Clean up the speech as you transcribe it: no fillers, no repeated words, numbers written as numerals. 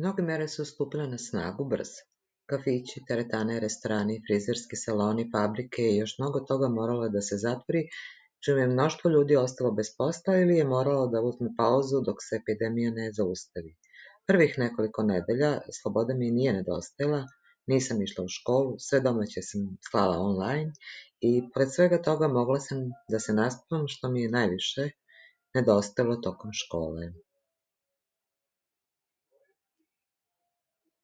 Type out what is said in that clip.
Mnoge mere su stupile na snagu brzo. Kafići, teretane, restorani, frizerski saloni, fabrike i još mnogo toga moralo je da se zatvori, čime je mnoštvo ljudi ostalo bez posla ili je moralo da uzme pauzu dok se epidemija ne zaustavi. Prvih nekoliko nedelja sloboda mi nije nedostajala, nisam išla u školu, sve domaće sam slala online i pored svega toga mogla sam da se naspavam što mi je najviše nedostajalo tokom škole.